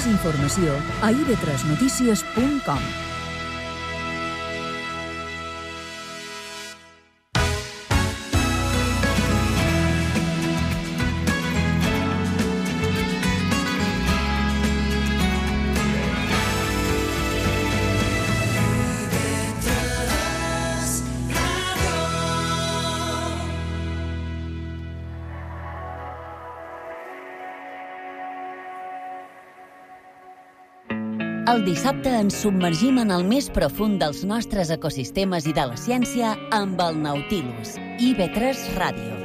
Més informació a ib3notícies.com. El dissabte ens submergim en el més profund dels nostres ecosistemes i de la ciència amb el Nautilus, IB3 Ràdio.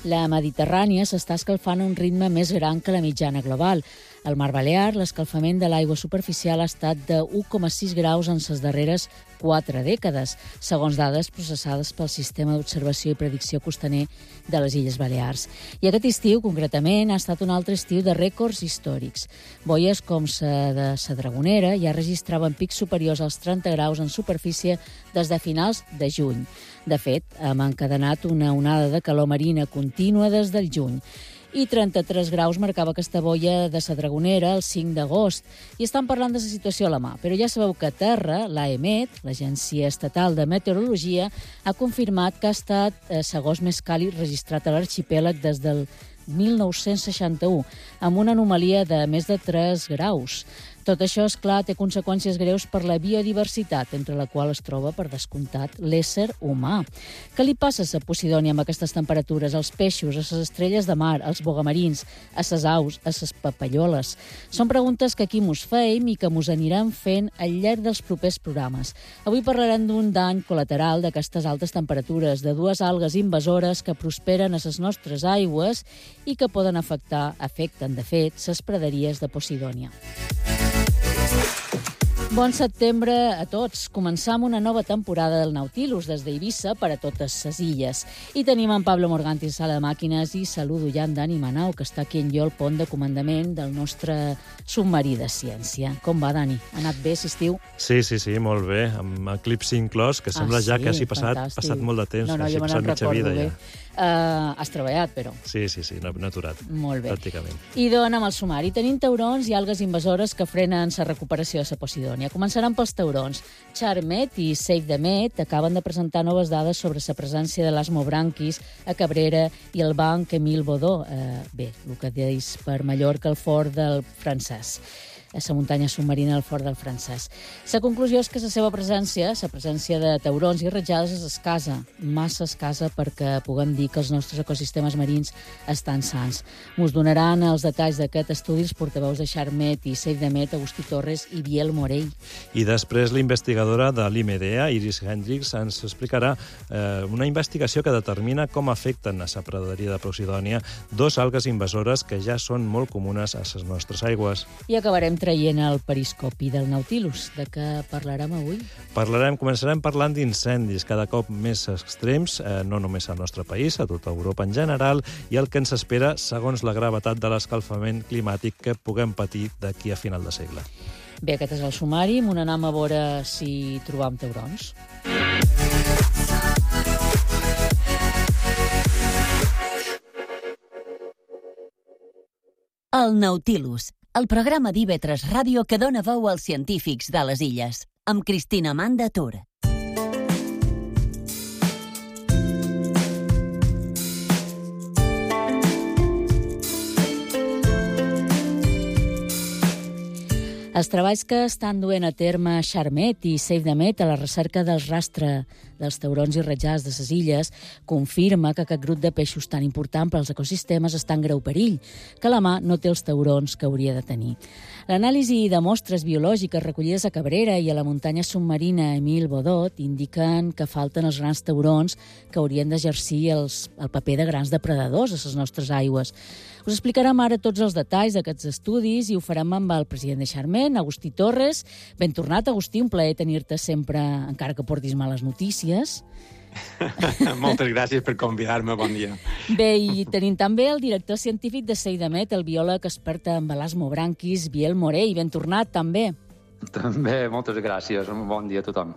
La Mediterrània s'està escalfant a un ritme més gran que la mitjana global. Al Mar Balear, l'escalfament de l'aigua superficial ha estat de 1,6 graus en les darreres 4 dècades, segons dades processades pel Sistema d'Observació i Predicció Costaner de les Illes Balears. I aquest estiu, concretament, ha estat un altre estiu de rècords històrics. Boies com la de la Dragonera ja registraven pics superiors als 30 graus en superfície des de finals de juny. De fet, hem encadenat una onada de calor marina contínua des del juny. I 33 graus marcava aquesta boia de la Dragonera el 5 d'agost. I estan parlant de la situació a la mà. Però ja sabeu que a terra, l'AEMET, l'Agència Estatal de Meteorologia, ha confirmat que ha estat l'agost més càlid registrat a l'arxipèlag des del 1961, amb una anomalia de més de 3 graus. Tot això, és clar, té conseqüències greus per la biodiversitat, entre la qual es troba, per descomptat, l'ésser humà. Què li passa a la Posidònia amb aquestes temperatures, als peixos, a les estrelles de mar, als bogamarins, a les aus, a les papalloles? Són preguntes que aquí mos feim i que mos anirem fent al llarg dels propers programes. Avui parlarem d'un dany col·lateral d'aquestes altes temperatures, de dues algues invasores que prosperen a les nostres aigües i que poden afecten, de fet, les praderies de Posidònia. Bon setembre a tots. Començam una nova temporada del Nautilus des d'Eivissa per a totes les illes. I tenim en Pablo Morganti a sala de màquines i saludo ja en Dani Manau, que està aquí en jo al pont de comandament del nostre submarí de ciència. Com va, Dani? Ha anat bé aquest estiu? Sí, molt bé, amb eclipsi inclòs, que sembla ja que hagi passat molt de temps. No, jo me n'en recordo bé. Has treballat, però. Sí, no he aturat. Molt bé. Pràcticament. I doncs amb el sumari. Tenim taurons i algues invasores que frenen la recuperació de la Posidònia. Començaran pels taurons. Charmet i Save the Met acaben de presentar noves dades sobre la presència de l'asmobranquis a Cabrera i el banc Emil Bodó. Bé, el que deis per Mallorca, el fort del francès. A la muntanya submarina del Fort del Francès. La conclusió és que la seva presència, la presència de taurons i ratjades, és escassa, massa escassa perquè puguem dir que els nostres ecosistemes marins estan sans. Us donaran els detalls d'aquest estudi els portaveus de Charmet i Save the Met, Agustí Torres i Biel Morell. I després la investigadora de l'IMEDEA, Iris Hendricks, ens explicarà una investigació que determina com afecten a la praderia de Posidònia dos algues invasores que ja són molt comunes a les nostres aigües. I acabarem traient el periscopi del Nautilus. De què parlarem avui? Començarem parlant d'incendis cada cop més extrems, no només al nostre país, a tota Europa en general, i el que ens espera segons la gravetat de l'escalfament climàtic que puguem patir d'aquí a final de segle. Bé, aquest és el sumari. Anem a veure si trobam taurons. El Nautilus, el programa d'IB3 Ràdio que dona veu als científics de les illes, amb Cristina Manda Tur. Els treballs que estan duent a terme Charmet i Save the Met a la recerca del rastre dels taurons i ratjars de les illes confirma que aquest grup de peixos tan important per als ecosistemes està en greu perill, que la mà no té els taurons que hauria de tenir. L'anàlisi de mostres biològiques recollides a Cabrera i a la muntanya submarina Emil Bodot indiquen que falten els grans taurons que haurien d'exercir el paper de grans depredadors a les nostres aigües. Us explicarem ara tots els detalls d'aquests estudis i ho farem amb el president de Charmet, Agustí Torres. Ben tornat, Agustí, un plaer tenir-te sempre, encara que portis males notícies. Moltes gràcies per convidar-me, bon dia. Bé, i tenim també el director científic de Seidamet, el biòleg expert en elasmobranquis, Biel Morell. Ben tornat, també. També, moltes gràcies. Un bon dia a tothom.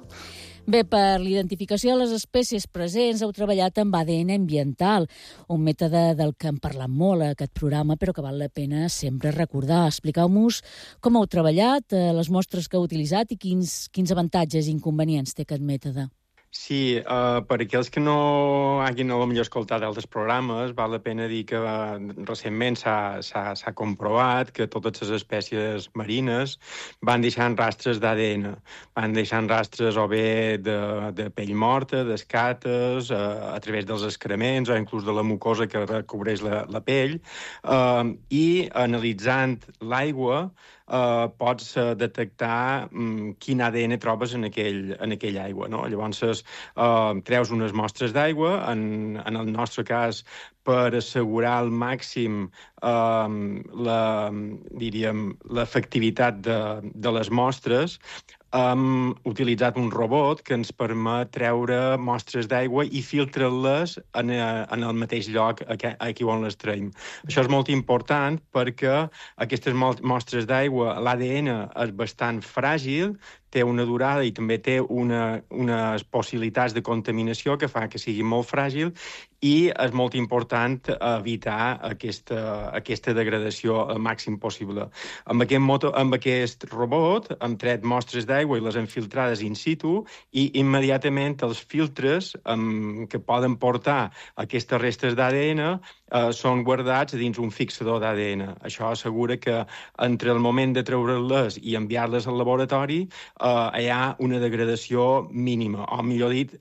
Bé, per l'identificació de les espècies presents heu treballat amb ADN ambiental, un mètode del que hem parlat molt a aquest programa, però que val la pena sempre recordar. Expliqueu-nos com heu treballat, les mostres que heu utilitzat i quins avantatges i inconvenients té aquest mètode. Sí, per aquells que no hagin potser escoltat altres programes, val la pena dir que recentment s'ha comprovat que totes les espècies marines van deixant rastres d'ADN. Van deixant rastres o bé de pell morta, d'escates, a través dels excrements o inclús de la mucosa que recobreix la pell. I analitzant l'aigua, pots detectar quin ADN trobes en aquell aigua, no? Llavors, treus unes mostres d'aigua, en el nostre cas, per assegurar al màxim l'efectivitat de les mostres, hem utilitzat un robot que ens permet treure mostres d'aigua i filtrar-les en el mateix lloc aquí on les traiem. Això és molt important perquè aquestes mostres d'aigua, l'ADN és bastant fràgil, té una durada i també té unes possibilitats de contaminació que fa que sigui molt fràgil i és molt important evitar aquesta degradació al màxim possible. Amb aquest robot hem tret mostres d'aigua i les hem filtrades in situ i immediatament els filtres que poden portar aquestes restes d'ADN són guardats dins un fixador d'ADN. Això assegura que entre el moment de treure-les i enviar-les al laboratori hi ha una degradació mínima, o millor dit,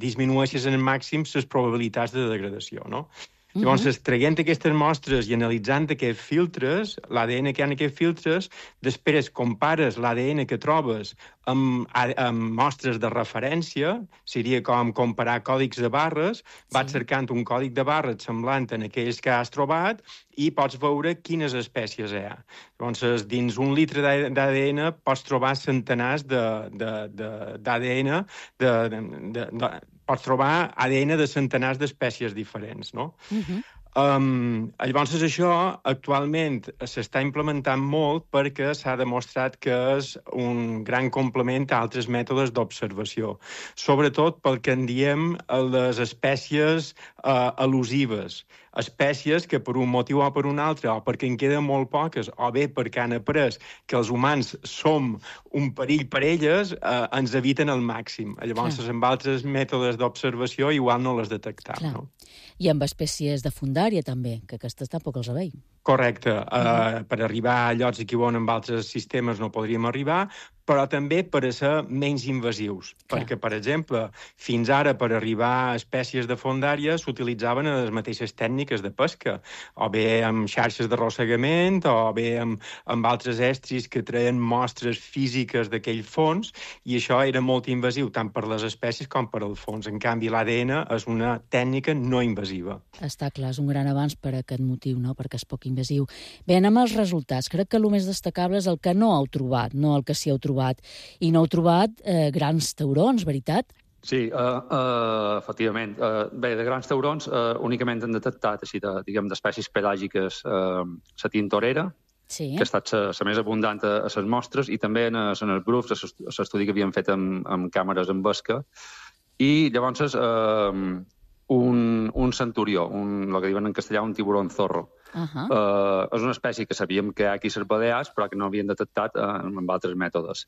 disminueixes en màxim les probabilitats de degradació, no? Llavors, traient aquestes mostres i analitzant aquests filtres, l'ADN que hi ha en aquests filtres, després compares l'ADN que trobes amb mostres de referència, seria com comparar còdics de barres, vas cercant un còdic de barres semblant en aquells que has trobat i pots veure quines espècies hi ha. Llavors, dins un litre d'ADN pots trobar centenars d'ADN, pots trobar ADN de centenars d'espècies diferents, no? Llavors, això actualment s'està implementant molt perquè s'ha demostrat que és un gran complement a altres mètodes d'observació, sobretot pel que en diem les espècies elusives, espècies que per un motiu o per un altre, o perquè en queden molt poques, o bé perquè han après que els humans som un perill per elles, ens eviten al màxim. Llavors, amb altres mètodes d'observació igual no les detectam. No? I amb espècies de fundària també, que aquestes tampoc els veiem. Correcte. Per arribar a llocs aquí on amb altres sistemes no podríem arribar, però també per a ser menys invasius. Perquè, per exemple, fins ara per arribar a espècies de fondària s'utilitzaven les mateixes tècniques de pesca, o bé amb xarxes d'arrossegament, o bé amb altres estris que treien mostres físiques d'aquell fons, i això era molt invasiu, tant per les espècies com per al fons. En canvi, l'ADN és una tècnica no invasiva. Està clar, és un gran avanç per aquest motiu, no? Perquè és poc invasiu. Bé, anem als resultats. Crec que el més destacable és el que no heu trobat, no el que sí heu trobat. I no heu trobat grans taurons, veritat? Sí, efectivament. Bé, de grans taurons únicament han detectat, així, d'espècies pelàgiques, la tintorera, que ha estat la més abundant a les mostres, i també en els grups, l'estudi que havien fet amb càmeres amb vesca, i llavors un centurió, el que diuen en castellà un tiburón zorro. És una espècie que sabíem que hi ha aquí a les Balears, però que no havien detectat amb altres mètodes.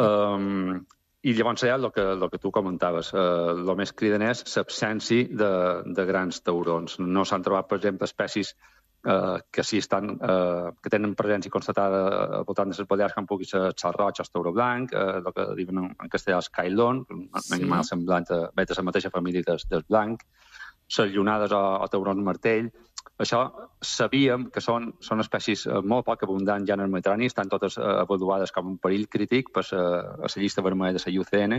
I llavors hi ha el que tu comentaves. El més cridaner és l'absència de grans taurons. No s'han trobat, per exemple, espècies que sí que tenen presència constatada al voltant de les Balears, com pugui ser el xal roig o el tauró blanc, el que diuen en castellà el cailon, un animal semblant a la mateixa família del blanc, les llunades o taurons martell. Això sabíem que són espècies molt poc abundants ja en el Mediterrani, estan totes avaluades com un perill crític per la llista vermella de la IUCN,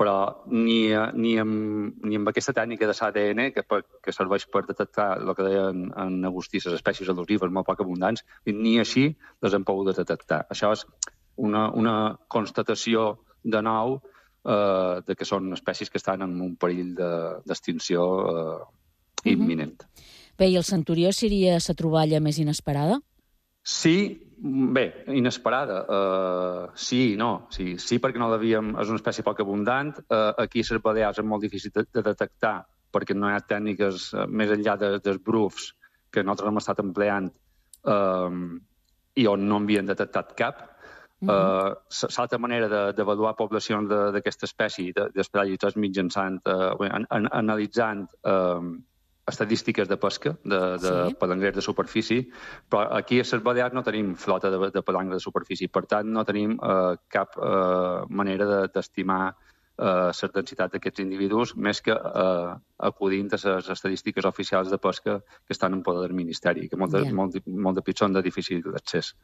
però ni amb aquesta tècnica de l'ADN, que serveix per detectar el que deien en Agustí, les espècies elusives molt poc abundants, ni així les hem pogut detectar. Això és una constatació de nou de que són espècies que estan en un perill d'extinció imminent. Bé, i el centurió seria la troballa més inesperada? Sí, bé, inesperada. Sí, no. Sí, perquè no l'havíem... És una espècie poc abundant. Aquí les balears és molt difícil de detectar perquè no hi ha tècniques més enllà dels brufs que nosaltres hem estat empleant i on no havien detectat cap. L'altra manera d'avaluar poblacions d'aquesta espècie d'espadallis és mitjançant, analitzant estadístiques de pesca, de palangrers de superfície, però aquí a les Balears no tenim flota de palangres de superfície, per tant no tenim cap manera d'estimar la densitat d'aquests individus, més que acudint a les estadístiques oficials de pesca que estan en poder del Ministeri, que molt de pitjor són de difícil d'accés.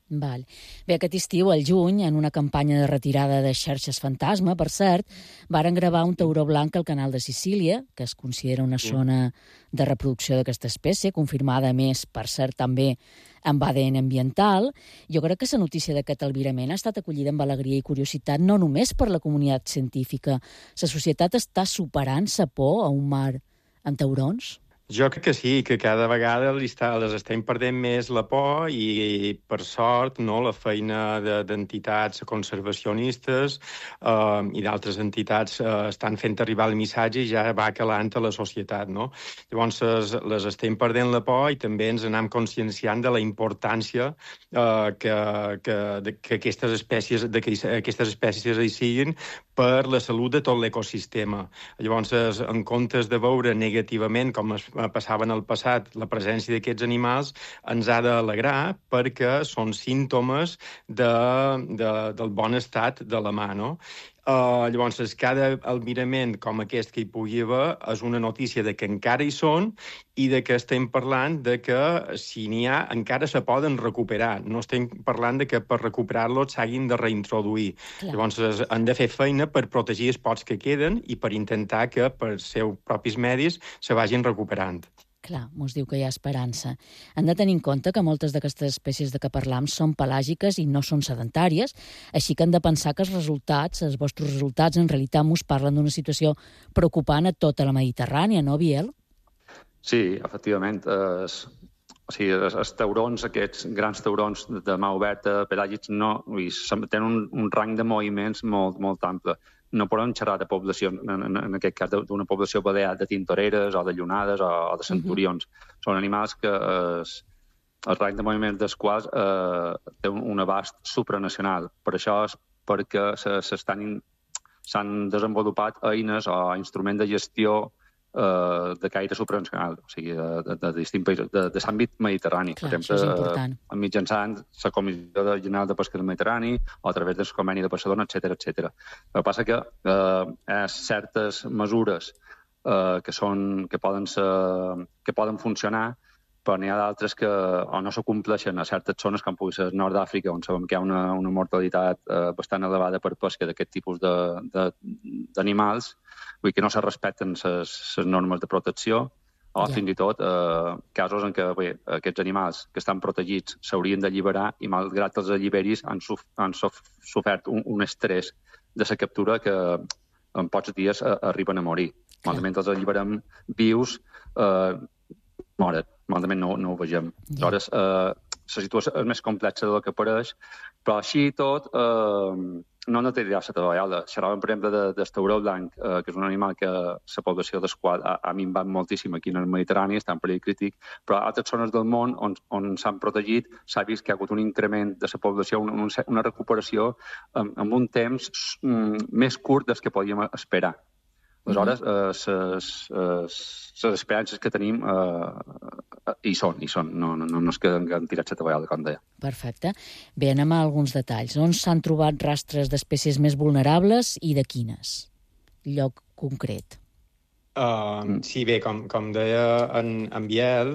Val. Bé, aquest estiu, al juny, en una campanya de retirada de xarxes fantasma, per cert, varen gravar un tauró blanc al canal de Sicília, que es considera una zona de reproducció d'aquesta espècie, confirmada, a més, per cert, també amb ADN ambiental. Jo crec que la notícia d'aquest albirament ha estat acollida amb alegria i curiositat, no només per la comunitat científica. La societat està superant la por a un mar amb taurons? Jo crec que sí, que cada vegada les estem perdent més la por i, per sort, la feina d'entitats conservacionistes i d'altres entitats estan fent arribar el missatge i ja va calant a la societat, no? Llavors, les estem perdent la por i també ens anem conscienciant de la importància que aquestes espècies hi siguin per la salut de tot l'ecosistema. Llavors, en comptes de veure negativament, com passava en el passat, la presència d'aquests animals ens ha d'alegrar perquè són símptomes del bon estat de la mà, no? Llavors, cada albirament com aquest que hi pugui haver és una notícia de que encara hi són i de que estem parlant de que, si n'hi ha, encara se poden recuperar. No estem parlant de que per recuperar-los s'hagin de reintroduir. Clar. Llavors, han de fer feina per protegir els pocs que queden i per intentar que, per seus propis medis, se vagin recuperant. Clar, mos diu que hi ha esperança. Han de tenir en compte que moltes d'aquestes espècies de què parlam són pelàgiques i no són sedentàries, així que han de pensar que els vostres resultats, en realitat mos parlen d'una situació preocupant a tota la Mediterrània, no, Biel? Sí, efectivament. Els taurons, aquests grans taurons de mà oberta, pelàgics, tenen un rang de moviments molt ample. No podem xerrar de població, en aquest cas, d'una població balear de tintoreres o de llunades o de centurions. Són animals que el rang de moviments dels quals té un abast supranacional. Per això és perquè s'han desenvolupat eines o instruments de gestió de caire supranacional, o sigui, de distints països, de l'àmbit mediterrani. Clar, per exemple, mitjançant la Comissió General de Pesca del Mediterrani o a través del Conveni de Barcelona, etc. El que passa que certes mesures que poden funcionar, però n'hi ha d'altres que o no s'acompleixen a certes zones, com pugui ser el nord d'Àfrica, on sabem que hi ha una mortalitat bastant elevada per pesca d'aquest tipus d'animals, vull dir que no se respecten les normes de protecció, o fins i tot casos en què aquests animals que estan protegits s'haurien d'alliberar i, malgrat els alliberis, han sofert un estrès de la captura que en pocs dies arriben a morir. Malament els alliberem vius, moren. Malament no ho vegem. Aleshores, la situació és més complexa del que pareix, però així i tot no té la tovallola. Xerràvem, per exemple, del tauró blanc, que és un animal que la població del qual ha minvat moltíssim aquí en el Mediterrani, està en perill crític, però a altres zones del món on s'han protegit s'ha vist que hi ha hagut un increment de la població, una recuperació amb un temps més curt del que podíem esperar. Aleshores, les esperances que tenim hi són. No és que han tirat la tovallola, com deia. Perfecte. Bé, anem a alguns detalls. On s'han trobat rastres d'espècies més vulnerables i de quines? Lloc concret. Sí, bé, com deia en Biel,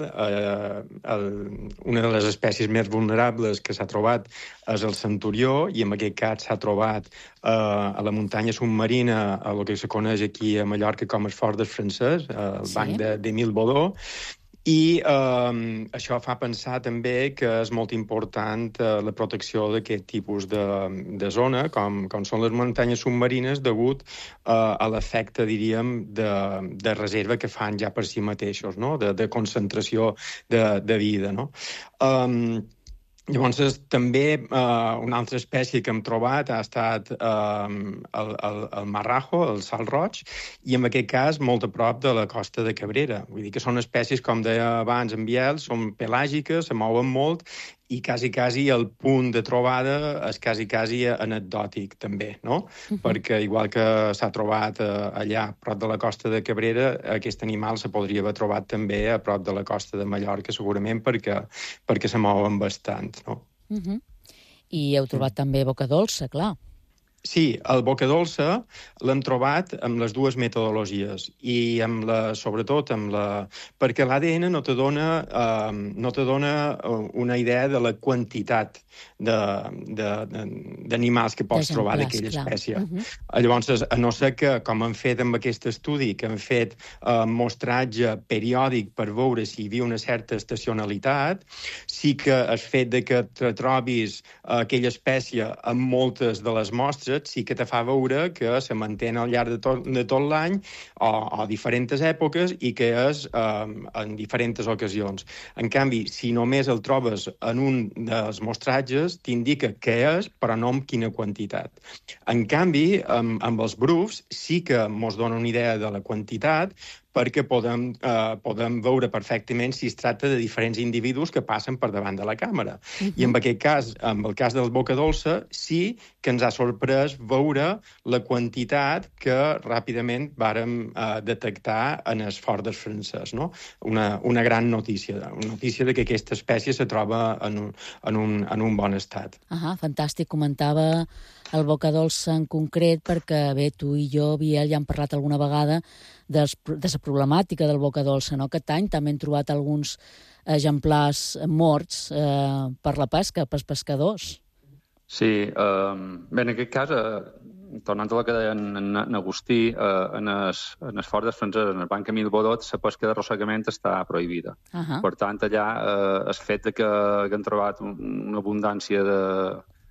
una de les espècies més vulnerables que s'ha trobat és el centurió, i en aquest cas s'ha trobat a la muntanya submarina, a el que se coneix aquí a Mallorca com el Fort del Francès, el banc d'Émile Baudot, I això fa pensar també que és molt important la protecció d'aquest tipus de zona, com són les muntanyes submarines, degut a l'efecte, diríem, de reserva que fan ja per si mateixos, no? De concentració de vida, no? Llavors, també una altra espècie que hem trobat ha estat el marrajo, el salt roig, i en aquest cas molt a prop de la costa de Cabrera. Vull dir que són espècies, com deia abans en Biel, són pelàgiques, se mouen molt, i quasi el punt de trobada és quasi anecdòtic, també, no? Perquè, igual que s'ha trobat allà, a prop de la costa de Cabrera, aquest animal se podria haver trobat també a prop de la costa de Mallorca, segurament perquè se mouen bastant, no? I heu trobat també boca dolça, clar. Sí, el boca dolça l'hem trobat amb les dues metodologies i sobretot perquè l'ADN no te dona una idea de la quantitat d'animals que pots trobar d'aquella espècie. Llavors, a no ser que, com han fet amb aquest estudi, que han fet mostratge periòdic per veure si hi havia una certa estacionalitat, sí que el fet de que te trobis aquella espècie en moltes de les mostres sí que te fa veure que se manté al llarg de tot l'any o a diferents èpoques i que és en diferents ocasions. En canvi, si només el trobes en un dels mostratges, t'indica què és, però no amb quina quantitat. En canvi, amb els brufs sí que mos dona una idea de la quantitat, perquè podem veure perfectament si es tracta de diferents individus que passen per davant de la càmera. I en aquest cas, en el cas del boca dolça, sí que ens ha sorprès veure la quantitat que ràpidament vàrem detectar en el fort del francès, no? Una gran notícia, una notícia de que aquesta espècie se troba en un bon estat. Fantàstic, comentava el boca dolça en concret, perquè bé, tu i jo, Biel, ja hem parlat alguna vegada de la problemàtica del boca dolça, no? Aquest any també hem trobat alguns exemplars morts per la pesca, pels pescadors. Sí, bé, en aquest cas, tornant a la que deia en Agustí, en el fort dels francesos, en el banc Camil Bodot, la pesca d'arrossegament està prohibida. Per tant, allà el fet que han trobat una abundància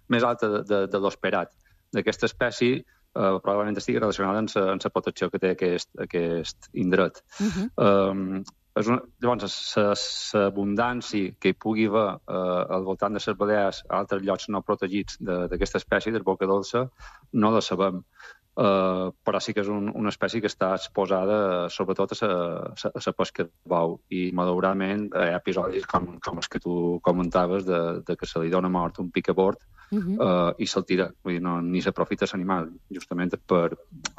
més alta de l'esperat d'aquesta espècie probablement estigui relacionada amb la protecció que té aquest indret. Llavors, l'abundància que hi pugui haver al voltant de les Balears a altres llocs no protegits d'aquesta espècie, del boca dolça, no la sabem. Però sí que és una espècie que està exposada sobretot a la pesca de bou. I, malauradament, hi ha episodis com els que tu comentaves de que se li dona mort un picabord i se'l tira. Vull dir, ni s'aprofita l'animal, justament o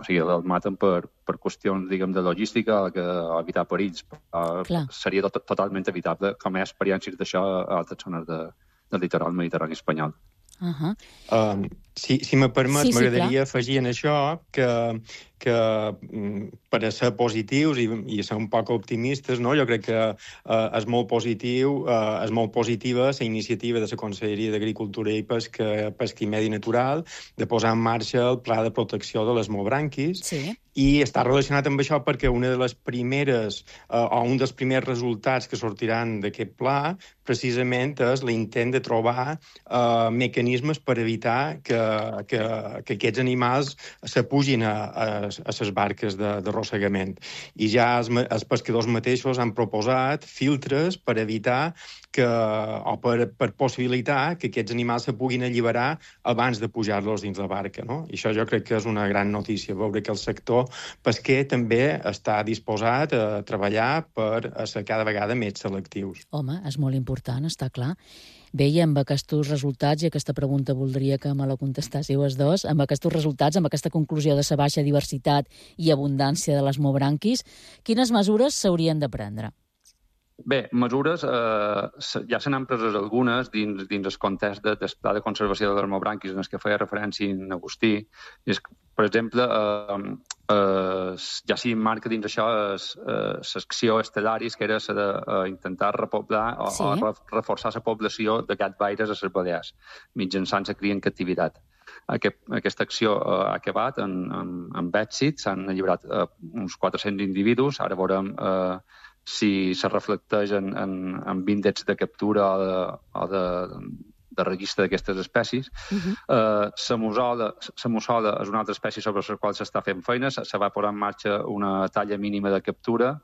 sigui, el maten per qüestions, diguem, de logística o evitar perills. Seria totalment evitable, com hi ha experiències d'això a altres zones del litoral mediterrani espanyol. Si me permet, m'agradaria afegir en això que per a ser positius i ser un poc optimistes, no? Jo crec que és molt positiva la iniciativa de la Conselleria d'Agricultura i Pesca i Medi Natural de posar en marxa el Pla de Protecció de les Molbranquis. I està relacionat amb això perquè una de les primeres o un dels primers resultats que sortiran d'aquest pla precisament és l'intent de trobar mecanismes per evitar que aquests animals s'apugin a les barques d'arrossegament. I ja els pescadors mateixos han proposat filtres per evitar o per possibilitar que aquests animals se puguin alliberar abans de pujar-los dins la barca, no? I això jo crec que és una gran notícia, veure que el sector pesquer també està disposat a treballar per ser cada vegada més selectius. Home, és molt important, està clar. Bé, i amb aquests resultats, i aquesta pregunta voldria que me la contestéssiu els dos, amb aquests resultats, amb aquesta conclusió de la baixa diversitat i abundància de les molbranquis, quines mesures s'haurien de prendre? Bé, mesures, ja se n'han preses algunes dins el context del pla de conservació de les molbranquis en el que feia referència en Agustí. Per exemple, ja s'hi marca dins això l'acció Stellaris, que era intentar repoblar o reforçar la població de gatvaires a les Balears, mitjançant la cria en captivitat. Aquesta acció ha acabat amb èxit, s'han alliberat uns 400 individus, ara veurem si se reflecteix en índexs de captura o de registre d'aquestes espècies. La mussola és una altra espècie sobre la qual s'està fent feina. Se va posar en marxa una talla mínima de captura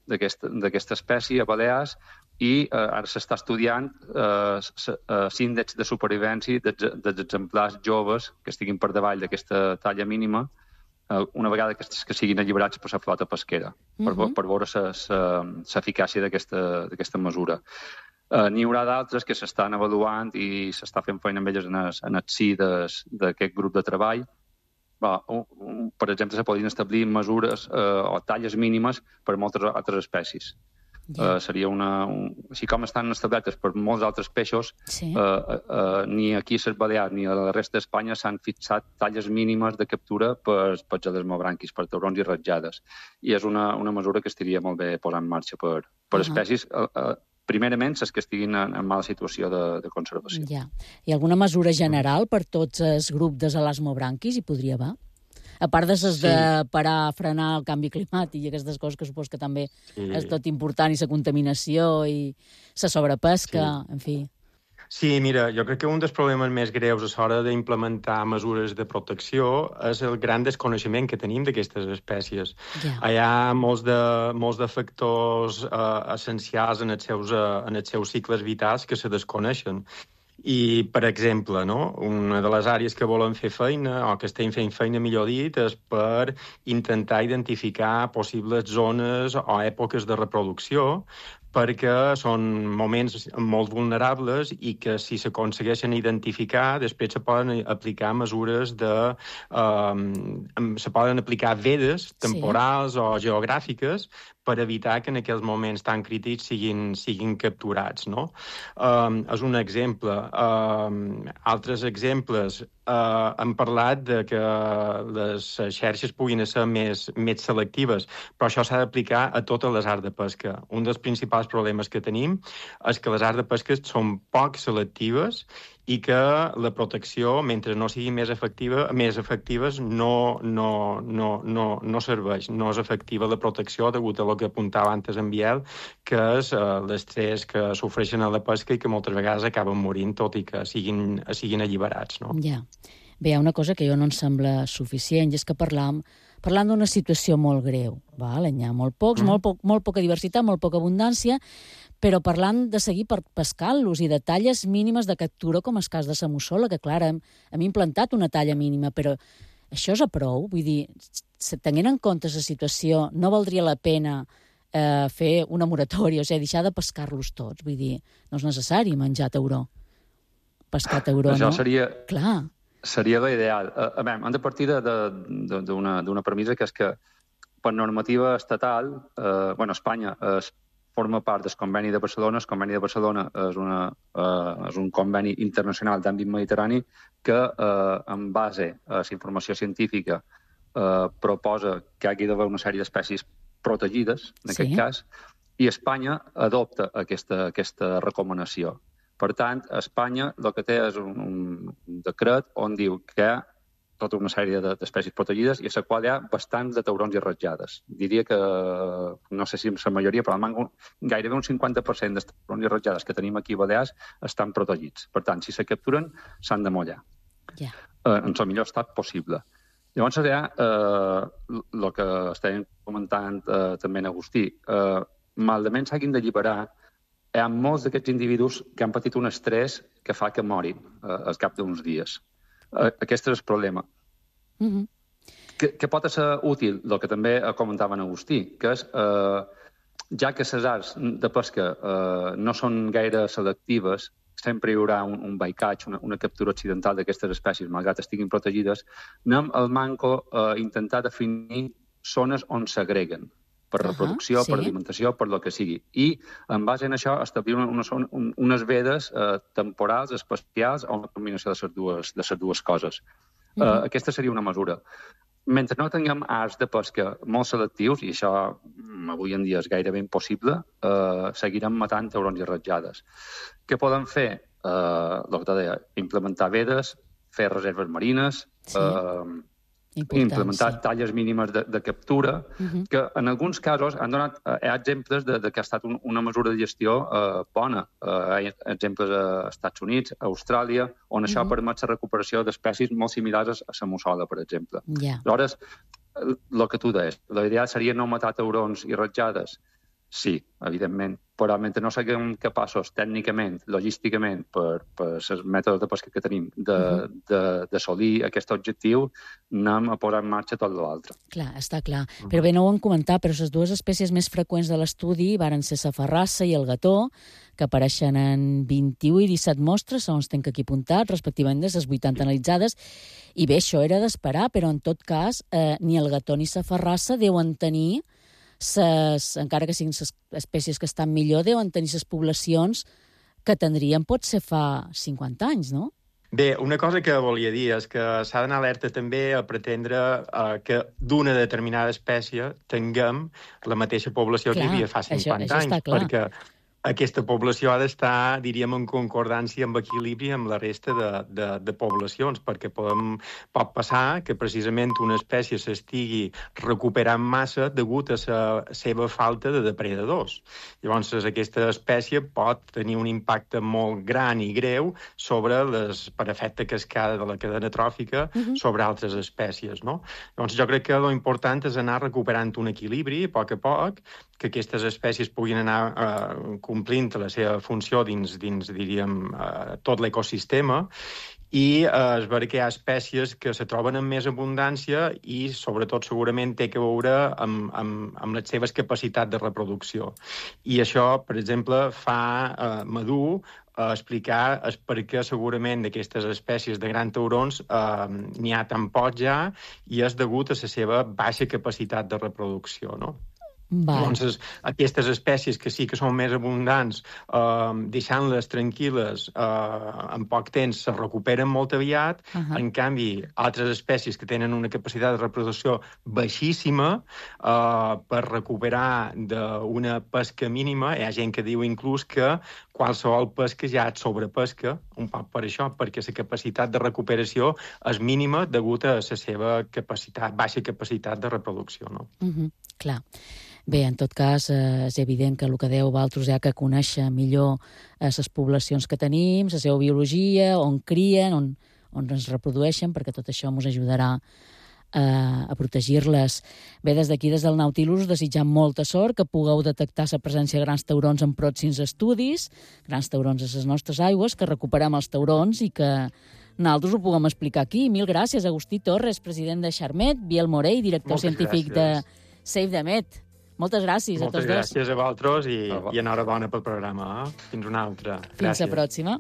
d'aquesta espècie a Balears i ara s'està estudiant l'índex de supervivència dels exemplars joves que estiguin per davall d'aquesta talla mínima una vegada que siguin alliberats per la flota pesquera, per veure l'eficàcia d'aquesta mesura. N'hi haurà d'altres que s'estan avaluant i s'està fent feina amb elles en el si d'aquest grup de treball. Per exemple, se podrien establir mesures o talles mínimes per moltes altres espècies. Seria així com estan establertes per molts altres peixos, ni aquí a les Balears ni a la resta d'Espanya s'han fixat talles mínimes de captura per gelesmobranquis, per taurons i ratjades. I és una mesura que estaria molt bé posar en marxa per espècies, primerament les que estiguin en mala situació de conservació. Hi ha alguna mesura general per tots els grups de gelesmobranquis? Hi podria haver? A part de parar, frenar el canvi climàtic i aquestes coses que supos que també és tot important, i la contaminació i la sobrepesca, en fi. Sí, mira, jo crec que un dels problemes més greus a l'hora d'implementar mesures de protecció és el gran desconeixement que tenim d'aquestes espècies. Hi ha molts de factors essencials en els seus cicles vitals que se desconeixen. I, per exemple, una de les àrees que volen fer feina, o que estem fent feina, millor dit, és per intentar identificar possibles zones o èpoques de reproducció, perquè són moments molt vulnerables i que si s'aconsegueixen identificar, després se poden aplicar mesures se poden aplicar vedes temporals o geogràfiques per evitar que en aquells moments tan crítics siguin capturats, no? És un exemple. Altres exemples, hem parlat de que les xarxes puguin ser més selectives, però això s'ha d'aplicar a totes les arts de pesca. Un dels principals problemes que tenim és que les arts de pesca són poc selectives i que la protecció, mentre no siguin més efectives, no serveix. No és efectiva la protecció degut a el que apuntava antes en Biel, que és l'estrès que sofreixen a la pesca i que moltes vegades acaben morint, tot i que siguin alliberats. No? Ja. Bé, hi ha una cosa que jo no em sembla suficient, i és que parlant d'una situació molt greu. N'hi ha molt poca diversitat, molt poca abundància, però parlant de seguir pescant-los i de talles mínimes de captura, com el cas de la mussola, que, clar, hem implantat una talla mínima, però això és a prou? Vull dir, tenint en compte la situació, no valdria la pena fer una moratòria, o sigui, deixar de pescar-los tots? Vull dir, no és necessari menjar tauró. Pescar tauró, no? Això seria l'ideal. Hem de partir d'una premissa que és que per normativa estatal, Espanya forma part del Conveni de Barcelona. El Conveni de Barcelona és un conveni internacional d'àmbit mediterrani que, en base a la informació científica, proposa que hi hagi d'haver una sèrie d'espècies protegides, en aquest cas, i Espanya adopta aquesta recomanació. Per tant, Espanya el que té és un decret on diu que hi ha tota una sèrie d'espècies protegides i a la qual hi ha bastants de taurons i ratjades. Diria que, no sé si la majoria, però gairebé un 50% dels taurons i ratjades que tenim aquí a Balears estan protegits. Per tant, si se capturen, s'han de mullar. En el millor estat possible. Llavors, hi ha el que estàvem comentant també en Agustí. Malament s'hagin d'alliberar. Hi ha molts d'aquests individus que han patit un estrès que fa que morin al cap d'uns dies. Aquest és el problema. Que pot ser útil, el que també comentava en Agustí, que és, ja que les arts de pesca no són gaire selectives, sempre hi haurà un bycatch, una captura accidental d'aquestes espècies, malgrat estiguin protegides, anem al manco a intentar definir zones on s'agreguen per reproducció, per alimentació, per el que sigui. I, en base a això, establir unes vedes temporals, especials, o una combinació de les dues coses. Aquesta seria una mesura. Mentre no tinguem arts de pesca molt selectius, i això avui en dia és gairebé impossible, seguirem matant taurons i ratjades. Què poden fer? El que deia, implementar vedes, fer reserves marines, implementar talles mínimes de captura, que en alguns casos han donat exemples de que ha estat una mesura de gestió bona. Hi ha exemples als Estats Units, a Austràlia, on això permet la recuperació d'espècies molt similars a la mussola, per exemple. Aleshores, el que tu deies, l'ideal seria no matar taurons i ratjades? Sí, evidentment, però mentre no siguem capaços tècnicament, logísticament, per els mètodes de pesca que tenim, d'assolir aquest objectiu, anem a posar en marxa tot l'altre. Clar, està clar. Però bé, no ho hem comentat, però les dues espècies més freqüents de l'estudi varen ser la ferrassa i el gató, que apareixen en 21 i 17 mostres, segons tenc aquí apuntat, respectivament de les 80 analitzades. I bé, això era d'esperar, però en tot cas, ni el gató ni la ferrassa deuen tenir encara que siguin les espècies que estan millor, deuen tenir les poblacions que tindrien potser fa 50 anys, no? Bé, una cosa que volia dir és que s'ha d'anar alerta també a pretendre que d'una determinada espècie tinguem la mateixa població que hi havia fa 50 anys, perquè aquesta població ha d'estar, diríem, en concordància, en equilibri amb la resta de poblacions, perquè pot passar que precisament una espècie s'estigui recuperant massa degut a la seva falta de depredadors. Llavors, aquesta espècie pot tenir un impacte molt gran i greu per efecte cascada de la cadena tròfica sobre altres espècies, no? Llavors, jo crec que l'important és anar recuperant un equilibri, a poc, que aquestes espècies puguin anar complint la seva funció dins diríem, tot l'ecosistema, i és vera que hi ha espècies que se troben amb més abundància i, sobretot, segurament té que veure amb les seves capacitats de reproducció. I això, per exemple, fa madur explicar per què segurament d'aquestes espècies de grans taurons n'hi ha tan pocs ja i és degut a la seva baixa capacitat de reproducció, no? Llavors, aquestes espècies que sí que són més abundants, deixant-les tranquil·les en poc temps, se recuperen molt aviat. En canvi, altres espècies que tenen una capacitat de reproducció baixíssima, per recuperar d'una pesca mínima, hi ha gent que diu inclús que qualsevol pesca ja et sobrepesca, un poc per això, perquè la capacitat de recuperació és mínima degut a la seva baixa capacitat de reproducció, no? Clar. Bé, en tot cas, és evident que el que deu vosaltres hi ha que conèixer millor les poblacions que tenim, la seva biologia, on crien, on es reprodueixen, perquè tot això ens ajudarà a protegir-les. Bé, des d'aquí, des del Nautilus, desitjam molta sort, que pugueu detectar la presència de grans taurons en pròxims estudis, grans taurons a les nostres aigües, que recuperem els taurons i que nosaltres ho puguem explicar aquí. Mil gràcies, Agustí Torres, president de Xarmet, Biel Morell, director científic de Save the Met. Moltes gràcies a tots dos. Moltes gràcies a vosaltres i enhorabona pel programa. Fins una altra. Fins la pròxima.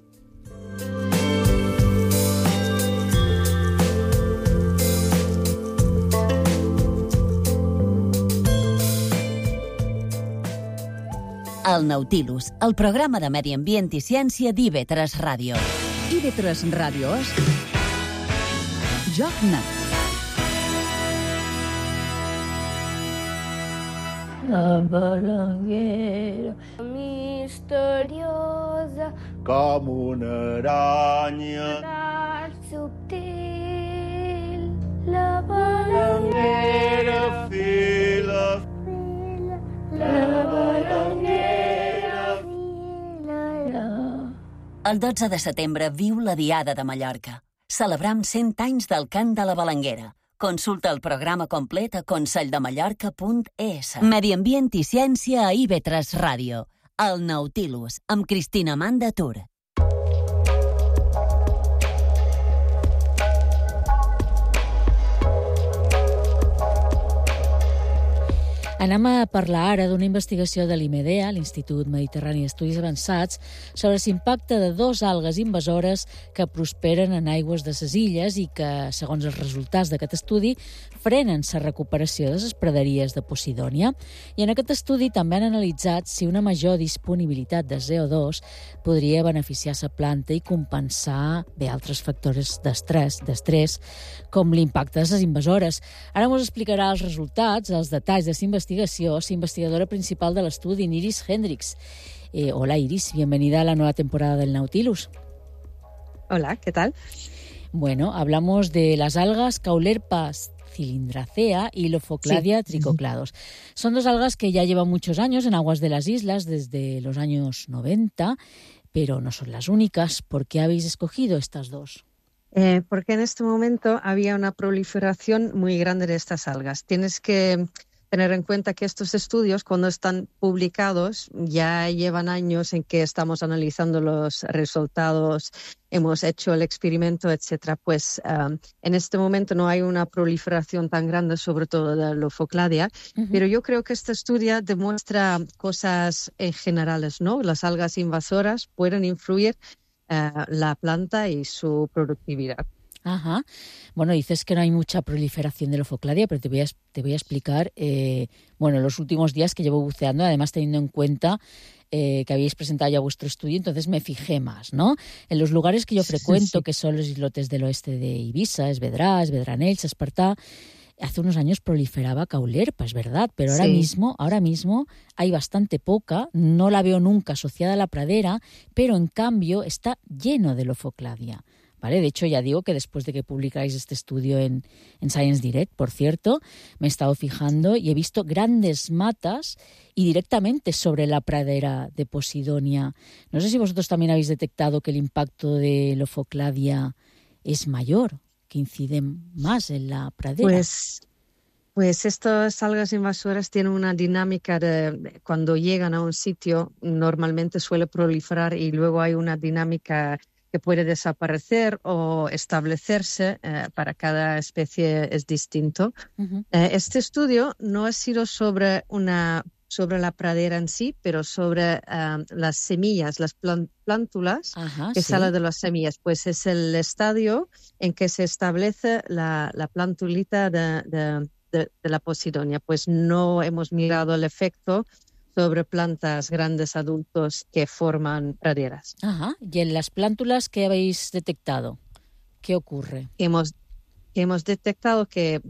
El Nautilus, el programa de medi ambient i ciència d'IV3 Ràdio. IV3 Ràdio és Joc Net. La balanguera misteriosa com una aranya tan subtil. La balanguera fila, la balanguera fila. El 12 de setembre viu la Diada de Mallorca. Celebram 100 anys del cant de la Balanguera. Consulta el programa complet a conselldemallorca.es. Medi ambient i ciència a IV3 Ràdio. El Nautilus, amb Cristina Manda Tur. Anem a parlar ara d'una investigació de l'IMEDEA, l'Institut Mediterrani d'Estudis Avançats, sobre l'impacte de 2 algues invasores que prosperen en aigües de les illes i que, segons els resultats d'aquest estudi, frenen la recuperació de les praderies de Posidònia. I en aquest estudi també han analitzat si una major disponibilitat de CO2 podria beneficiar la planta i compensar altres factors d'estrès, com l'impacte de les invasores. Ara ens explicarà els resultats, els detalls de la investigació, la investigadora principal de l'estudi, Iris Hendricks. Hola, Iris, bienvenida a la nueva temporada del Nautilus. Hola, ¿qué tal? Bueno, hablamos de las algas Caulerpa Cilindracea y Lophokladia trichoclados. Son dos algas que ya llevan muchos años en aguas de las islas, desde los años 90, pero no son las únicas. ¿Por qué habéis escogido estas dos? Porque en este momento había una proliferación muy grande de estas algas. Tienes que tener en cuenta que estos estudios, cuando están publicados, ya llevan años en que estamos analizando los resultados, hemos hecho el experimento, etcétera. Pues en este momento no hay una proliferación tan grande, sobre todo de Lophokladia, pero yo creo que este estudio demuestra cosas generales, ¿no? Las algas invasoras pueden influir la planta y su productividad. Ajá. Bueno, dices que no hay mucha proliferación de Lophokladia, pero te voy a explicar, los últimos días que llevo buceando, además teniendo en cuenta que habéis presentado ya vuestro estudio, entonces me fijé más, ¿no? En los lugares que yo frecuento, que son los islotes del oeste de Ibiza, Esvedranells, Espartá, hace unos años proliferaba caulerpa, es verdad, pero ahora mismo hay bastante poca, no la veo nunca asociada a la pradera, pero en cambio está lleno de Lophokladia. ¿Vale? De hecho, ya digo que después de que publicáis este estudio en Science Direct, por cierto, me he estado fijando y he visto grandes matas y directamente sobre la pradera de Posidonia. No sé si vosotros también habéis detectado que el impacto de Lophokladia es mayor, que incide más en la pradera. Pues estas algas invasoras tienen una dinámica de cuando llegan a un sitio, normalmente suele proliferar y luego hay una dinámica que puede desaparecer o establecerse, para cada especie es distinto. Este estudio no ha sido sobre la pradera en sí, pero sobre las semillas, las plántulas que salen de las semillas. Pues es el estadio en que se establece la plantulita de la Posidonia. Pues no hemos mirado el efecto sobre plantas grandes adultos que forman praderas. Ajá. ¿Y en las plántulas qué habéis detectado? ¿Qué ocurre? Hemos detectado que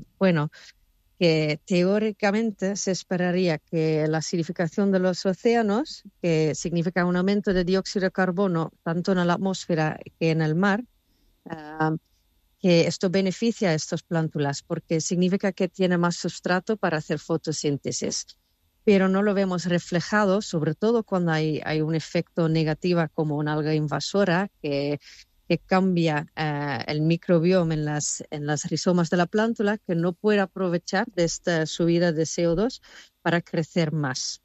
teóricamente se esperaría que la acidificación de los océanos, que significa un aumento de dióxido de carbono tanto en la atmósfera que en el mar, que esto beneficia a estas plántulas porque significa que tiene más sustrato para hacer fotosíntesis. Pero no lo vemos reflejado, sobre todo cuando hay un efecto negativo como una alga invasora que cambia el microbioma en las rizomas de la plántula, que no puede aprovechar de esta subida de CO2 para crecer más.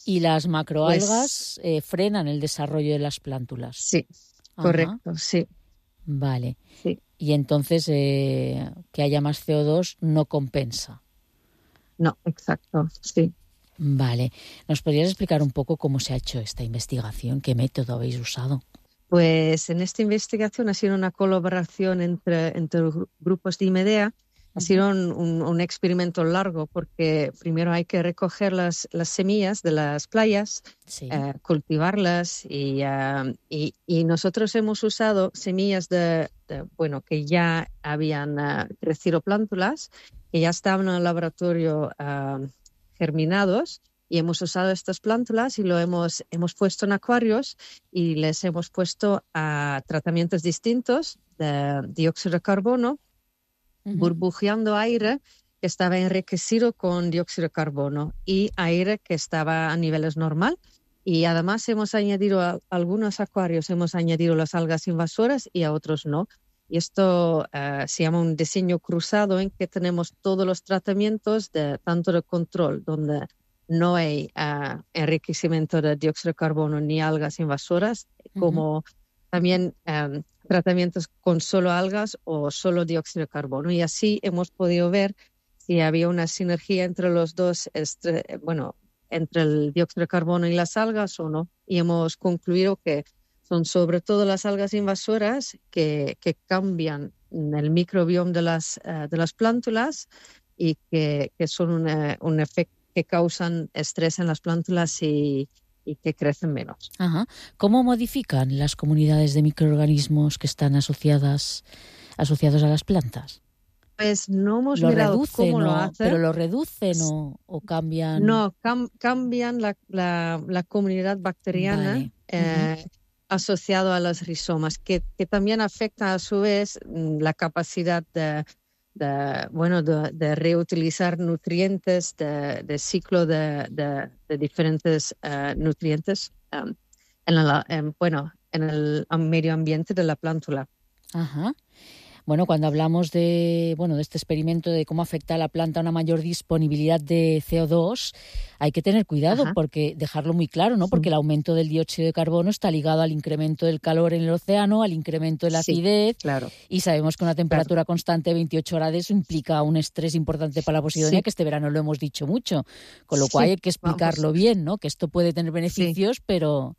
¿Y las macroalgas frenan el desarrollo de las plántulas? Sí, correcto, sí. Vale. Sí. Y entonces que haya más CO2 no compensa. No, exacto, sí. Vale. ¿Nos podrías explicar un poco cómo se ha hecho esta investigación? ¿Qué método habéis usado? Pues en esta investigación ha sido una colaboración entre grupos de IMEDEA. Ha sido un experimento largo porque primero hay que recoger las semillas de las playas, cultivarlas y nosotros hemos usado semillas que ya habían crecido plántulas, que ya estaban en el laboratorio germinados, y hemos usado estas plántulas y lo hemos puesto en acuarios y les hemos puesto a tratamientos distintos de dióxido de carbono, burbujeando aire que estaba enriquecido con dióxido de carbono y aire que estaba a niveles normal. Y además hemos añadido a algunos acuarios, hemos añadido las algas invasoras y a otros no. Y esto se llama un diseño cruzado, en que tenemos todos los tratamientos tanto de control, donde no hay enriquecimiento de dióxido de carbono ni algas invasoras, como también tratamientos con solo algas o solo dióxido de carbono. Y así hemos podido ver si había una sinergia entre los dos, entre el dióxido de carbono y las algas o no. Y hemos concluido que son sobre todo las algas invasoras que cambian el microbioma de las plántulas y que son un efecto que causan estrés en las plántulas y que crecen menos. Ajá. ¿Cómo modifican las comunidades de microorganismos que están asociados a las plantas? Pues no hemos mirado cómo lo hacen. ¿Pero lo reducen o cambian? No, cambian la comunidad bacteriana asociado a los rizomas, que también afecta a su vez la capacidad de de reutilizar nutrientes, de ciclo de diferentes nutrientes en el medio ambiente de la plántula. Ajá. Bueno, cuando hablamos de este experimento de cómo afecta a la planta una mayor disponibilidad de CO2, hay que tener cuidado, porque dejarlo muy claro, ¿no? Porque el aumento del dióxido de carbono está ligado al incremento del calor en el océano, al incremento de la acidez, claro. Y sabemos que una temperatura constante de 28 grados implica un estrés importante para la Posidonia, que este verano lo hemos dicho mucho, con lo cual hay que explicarlo bien, ¿no? Que esto puede tener beneficios, pero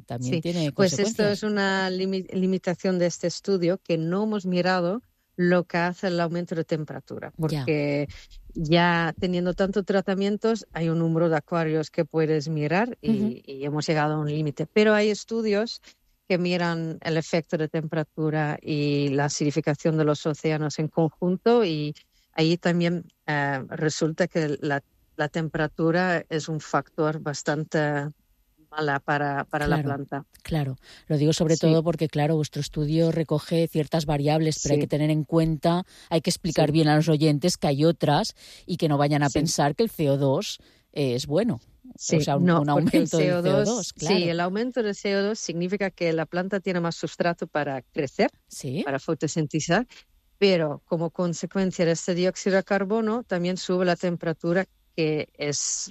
también tiene pues consecuencias. Esto es una limitación de este estudio, que no hemos mirado lo que hace el aumento de temperatura, porque ya teniendo tantos tratamientos hay un número de acuarios que puedes mirar y hemos llegado a un límite, pero hay estudios que miran el efecto de temperatura y la acidificación de los océanos en conjunto, y ahí también resulta que la temperatura es un factor bastante mala para la planta. Claro, lo digo sobre todo porque, claro, vuestro estudio recoge ciertas variables, pero hay que tener en cuenta, hay que explicar bien a los oyentes que hay otras y que no vayan a pensar que el CO2 es bueno. O sea, un aumento del CO2. Claro. Sí, el aumento del CO2 significa que la planta tiene más sustrato para crecer, para fotosintizar, pero como consecuencia de este dióxido de carbono también sube la temperatura, que es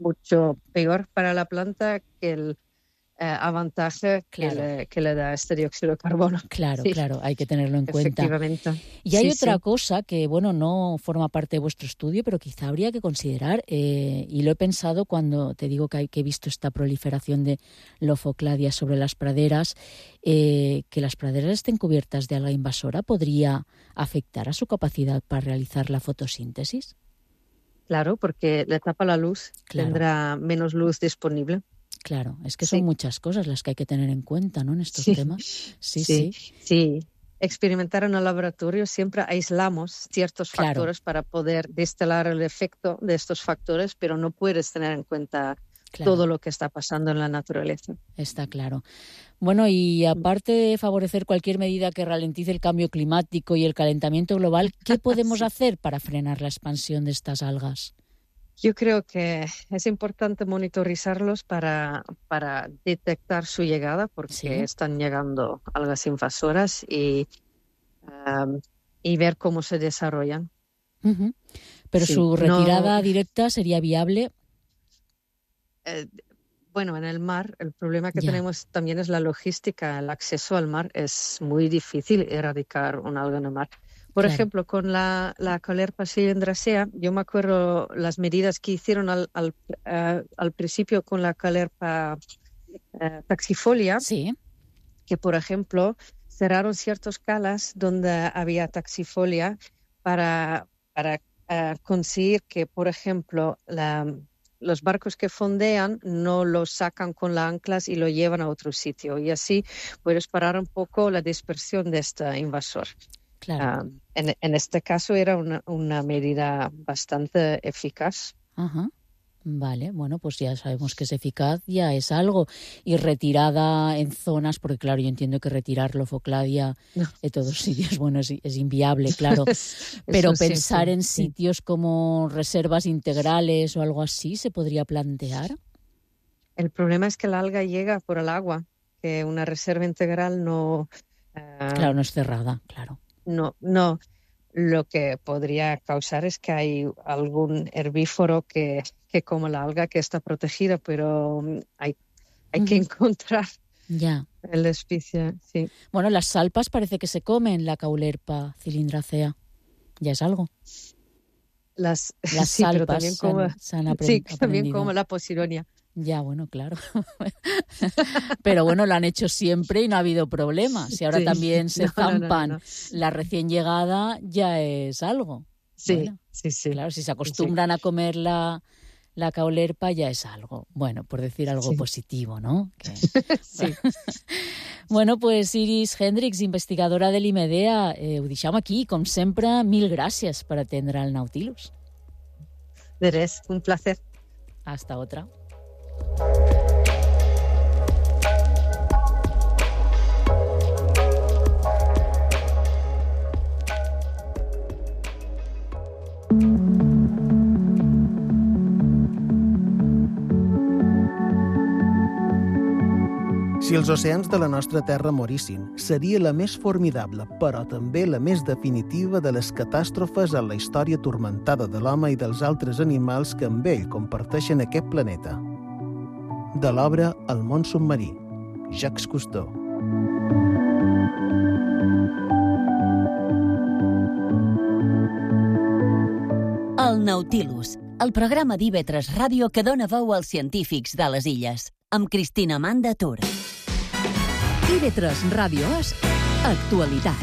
mucho peor para la planta que el avantaje que le da este dióxido de carbono. Claro, hay que tenerlo en cuenta. Efectivamente. Y hay otra cosa que, no forma parte de vuestro estudio, pero quizá habría que considerar, y lo he pensado cuando te digo que he visto esta proliferación de Lophokladia sobre las praderas, que las praderas estén cubiertas de alga invasora podría afectar a su capacidad para realizar la fotosíntesis. Claro, porque le tapa la luz, tendrá menos luz disponible. Claro, es que son muchas cosas las que hay que tener en cuenta, ¿no?, en estos temas. Sí. Experimentar en el laboratorio siempre aislamos ciertos factores para poder destilar el efecto de estos factores, pero no puedes tener en cuenta todo lo que está pasando en la naturaleza. Está claro. Bueno, y aparte de favorecer cualquier medida que ralentice el cambio climático y el calentamiento global, ¿qué podemos hacer para frenar la expansión de estas algas? Yo creo que es importante monitorizarlos para detectar su llegada, porque están llegando algas invasoras, y ver cómo se desarrollan. Pero su retirada directa sería viable. En el mar el problema que tenemos también es la logística. El acceso al mar es muy difícil erradicar un alga en el mar. Por ejemplo, con la Caulerpa cylindracea, yo me acuerdo las medidas que hicieron al principio con la Caulerpa taxifolia, que por ejemplo cerraron ciertos calas donde había taxifolia para conseguir que, por ejemplo, los barcos que fondean no los sacan con las anclas y lo llevan a otro sitio, y así puedes parar un poco la dispersión de este invasor. Claro. En este caso era una medida bastante eficaz. Ajá. Vale, bueno, pues ya sabemos que es eficaz, ya es algo. Y retirada en zonas, porque claro, yo entiendo que retirar Lophokladia de todos sitios, es inviable, claro. Pero pensar en sitios como reservas integrales o algo así, ¿se podría plantear? El problema es que el alga llega por el agua, que una reserva integral no... Claro, no es cerrada, claro. No. Lo que podría causar es que hay algún herbívoro que come la alga, que está protegida, pero hay que encontrar la especie. Sí. Bueno, las salpas parece que se comen, la Caulerpa cylindracea. Ya es algo. Las salpas se han aprendido. También como la Posidonia. Ya, bueno, claro. Pero bueno, lo han hecho siempre y no ha habido problemas. Y ahora también se zampan la recién llegada, ya es algo. Sí. Claro, si se acostumbran a comer la Caulerpa, ya es algo. Bueno, por decir algo positivo, ¿no? Bueno, pues Iris Hendricks, investigadora de l'IMEDEA, ho deixem aquí. Com sempre, mil gràcies per atendre el Nautilus. De res, un placer. Hasta otra. els oceans de la nostra terra morissin, seria la més formidable, però també la més definitiva de les catàstrofes en la història turmentada de l'home i dels altres animals que amb ell comparteixen aquest planeta. De l'obra El món submarí, Jacques Cousteau. El Nautilus, el programa d'IV3 Ràdio que dona veu als científics de les illes, amb Cristina Amanda Tur. IV3 Ràdio és actualitat.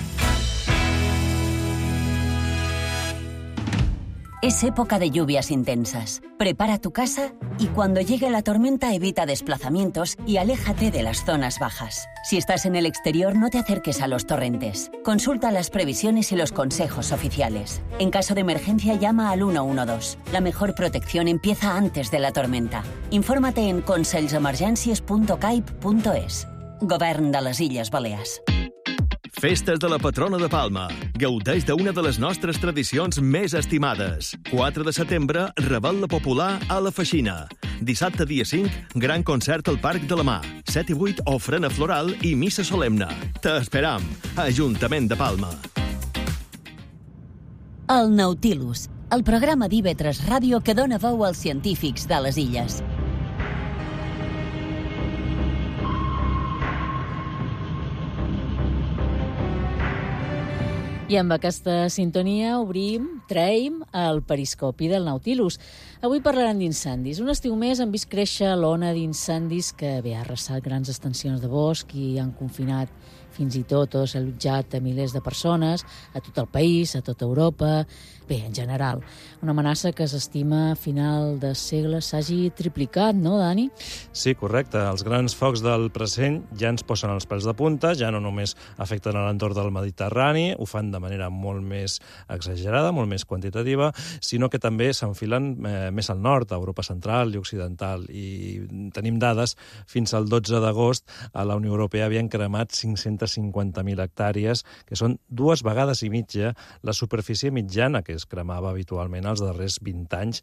Es época de lluvias intensas. Prepara tu casa y cuando llegue la tormenta evita desplazamientos y aléjate de las zonas bajas. Si estás en el exterior, no te acerques a los torrentes. Consulta las previsiones y los consejos oficiales. En caso de emergencia, llama al 112. La mejor protección empieza antes de la tormenta. Infórmate en conselsemergències.caip.es. Govern de les Illes Balears. Festes de la patrona de Palma. Gaudeix d'una de les nostres tradicions més estimades. 4 de setembre, Revetlla Popular a la Feixina. Dissabte, dia 5, gran concert al Parc de la Mar. 7 i 8, ofrena floral i missa solemne. T'esperam. Ajuntament de Palma. El Nautilus, el programa d'IV3 Ràdio que dona veu als científics de les illes. I amb aquesta sintonia traiem el periscopi del Nautilus. Avui parlaran d'incendis. Un estiu més han vist créixer l'ona d'incendis que ha arrasat grans extensions de bosc i han confinat fins i tot o desallotjat a milers de persones a tot el país, a tota Europa. Bé, en general, una amenaça que s'estima a final de segle s'hagi triplicat, no, Dani? Sí, correcte. Els grans focs del present ja ens posen els pèls de punta, ja no només afecten a l'entorn del Mediterrani, ho fan de manera molt més exagerada, molt més quantitativa, sinó que també s'enfilen més al nord, a Europa central i occidental. I tenim dades, fins al 12 d'agost a la Unió Europea havien cremat 550.000 hectàrees, que són 2 vegades i mitja la superfície mitjana que es cremava habitualment els darrers 20 anys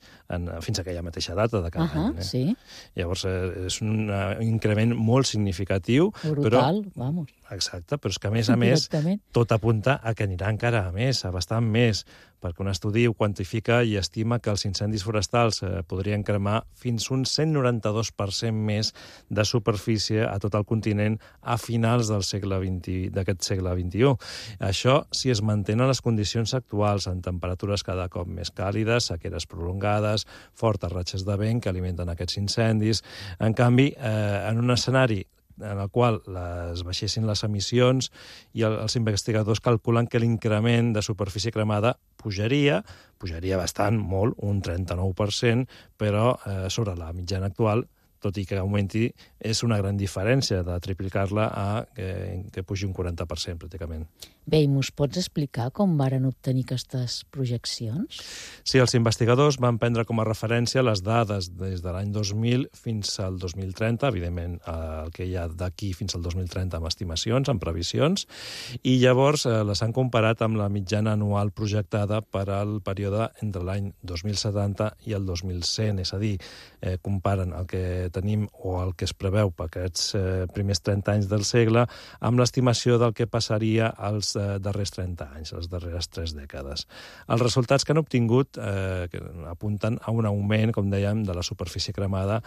fins a aquella mateixa data de cada any. Sí. Llavors, és un increment molt significatiu. Brutal, vamos. Exacte, però és que, a més, tot apunta a que anirà encara a més, a bastant més, perquè un estudi ho quantifica i estima que els incendis forestals podrien cremar fins un 192% més de superfície a tot el continent a finals d'aquest segle XXI. Això si es mantenen les condicions actuals, en temperatures cada cop més càlides, sequeres prolongades, fortes ratxes de vent que alimenten aquests incendis. En canvi, en un escenari en el qual es baixessin les emissions i els investigadors calculen que l'increment de superfície cremada pujaria bastant, molt, un 39%, però sobre la mitjana actual, tot i que augmenti, és una gran diferència de triplicar-la a que pugi un 40%, pràcticament. Bé, i mos pots explicar com varen obtenir aquestes projeccions? Sí, els investigadors van prendre com a referència les dades des de l'any 2000 fins al 2030, evidentment el que hi ha d'aquí fins al 2030 amb estimacions, amb previsions, i llavors les han comparat amb la mitjana anual projectada per al període entre l'any 2070 i el 2100, és a dir, comparen el que tenim o el que es preveu per aquests primers 30 anys del segle amb l'estimació del que passaria als darrers 30 anys, les darreres 3 dècades. Els resultats que han obtingut apunten a un augment, com dèiem, de la superfície cremada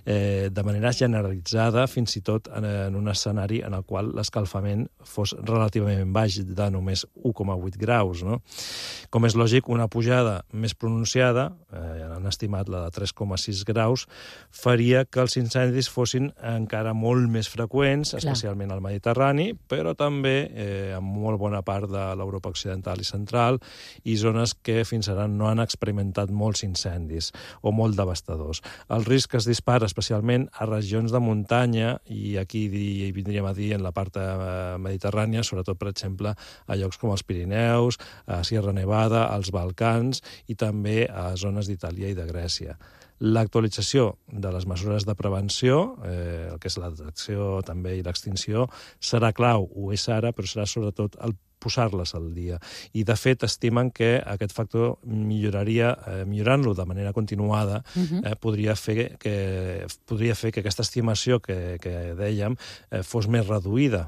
de manera generalitzada, fins i tot en un escenari en el qual l'escalfament fos relativament baix, de només 1,8 graus. No? Com és lògic, una pujada més pronunciada, han estimat la de 3,6 graus, faria que els incendis fossin encara molt més freqüents, especialment al Mediterrani, però també en molt bona part de l'Europa occidental i central i zones que fins ara no han experimentat molts incendis o molt devastadors. El risc es dispara especialment a regions de muntanya i aquí vindríem a dir en la part mediterrània, sobretot, per exemple, a llocs com els Pirineus, a Sierra Nevada, als Balcans i també a zones d'Itàlia i de Grècia. L'actualització de les mesures de prevenció, el que és la detecció també i l'extinció, serà clau, ho és ara, però serà sobretot el posar-les al dia. I, de fet, estimen que aquest factor millorant-lo de manera continuada podria fer que aquesta estimació que dèiem fos més reduïda.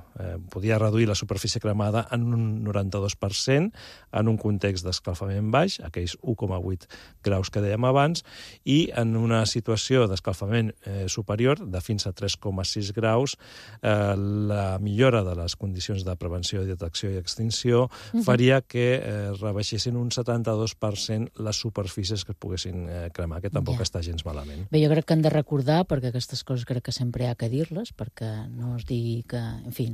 Podia reduir la superfície cremada en un 92% en un context d'escalfament baix, aquells 1,8 graus que dèiem abans, i en una situació d'escalfament superior, de fins a 3,6 graus, la millora de les condicions de prevenció, detecció i extinció faria que rebaixessin un 72% les superfícies que es poguessin cremar, que tampoc està gens malament. Bé, jo crec que hem de recordar, perquè aquestes coses crec que sempre hi ha que dir-les, perquè no es digui que, en fi,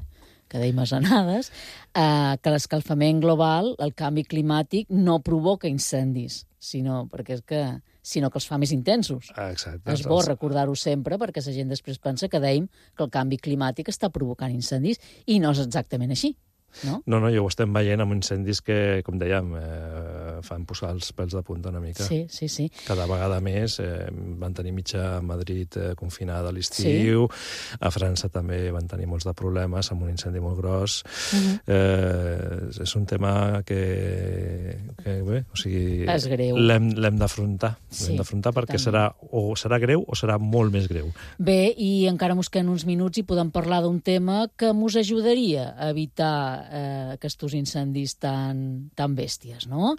que deim asenades, que l'escalfament global, el canvi climàtic, no provoca incendis, sinó que els fa més intensos. Exacte. És bo recordar-ho sempre, perquè la gent després pensa que dèiem que el canvi climàtic està provocant incendis, i no és exactament així. No, ja ho estem veient amb incendis que, com dèiem, fan posar els pèls de punta una mica. Sí. Cada vegada més van tenir mitja Madrid confinada a l'estiu, a França també van tenir molts de problemes amb un incendi molt gros. És un tema que bé, o sigui... És greu. L'hem d'afrontar. L'hem d'afrontar perquè serà greu o serà molt més greu. Bé, i encara mos queden uns minuts i podem parlar d'un tema que mos ajudaria a evitar aquests incendis tan bèsties, no?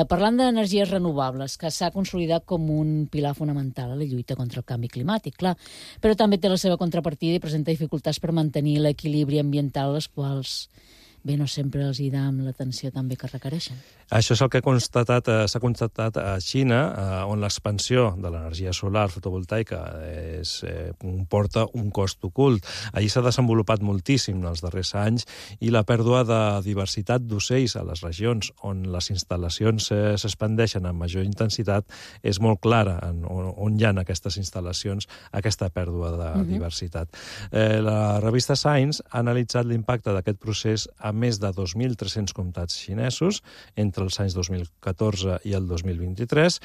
Parlant d'energies renovables, que s'ha consolidat com un pilar fonamental a la lluita contra el canvi climàtic, clar, però també té la seva contrapartida i presenta dificultats per mantenir l'equilibri ambiental, les quals bé, no sempre els hi dam l'atenció també que requereixen. Això és el que s'ha constatat a Xina, on l'expansió de l'energia solar fotovoltaica comporta un cost ocult. Allí s'ha desenvolupat moltíssim en els darrers anys i la pèrdua de diversitat d'ocells a les regions on les instal·lacions s'expandeixen amb major intensitat és molt clara on hi ha aquestes instal·lacions aquesta pèrdua de diversitat. La revista Science ha analitzat l'impacte d'aquest procés a més de 2.300 comtats xinesos entre els anys 2014 i el 2023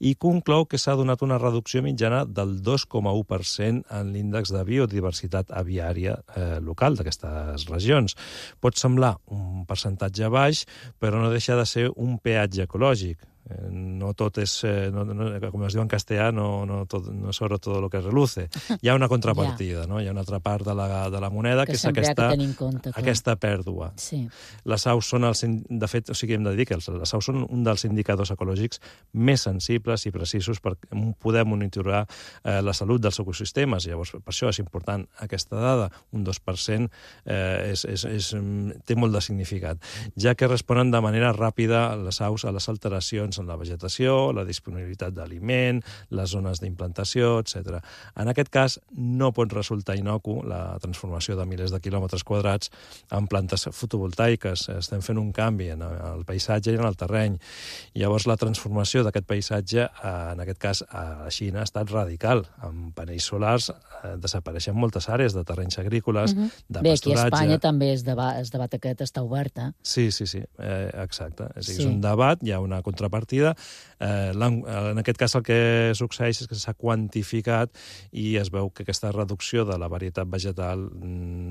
i conclou que s'ha donat una reducció mitjana del 2,1% en l'índex de biodiversitat aviària local d'aquestes regions. Pot semblar un percentatge baix, però no deixa de ser un peatge ecològic. No tot és, com es diu en castellà, no sobre todo lo que reluce. Hi ha una contrapartida, no? Hi ha una altra part de la moneda que és aquesta pèrdua. Les aus són, de fet, hem de dir que les aus són un dels indicadors ecològics més sensibles i precisos per poder monitorar la salut dels ecosistemes. Llavors, per això és important aquesta dada, un 2% té molt de significat, ja que responen de manera ràpida les aus a les alteracions en la vegetació, la disponibilitat d'aliment, les zones d'implantació, etc. En aquest cas, no pot resultar inocu la transformació de milers de quilòmetres quadrats en plantes fotovoltaiques. Estem fent un canvi en el paisatge i en el terreny. Llavors, la transformació d'aquest paisatge, en aquest cas, a la Xina, ha estat radical. Amb panells solars desapareixen moltes àrees de terrenys agrícoles, de pasturatge... Bé, aquí a Espanya també es debat aquest està obert, eh? Sí, exacte. És un debat, hi ha una contrapartida. En aquest cas el que succeeix és que s'ha quantificat i es veu que aquesta reducció de la varietat vegetal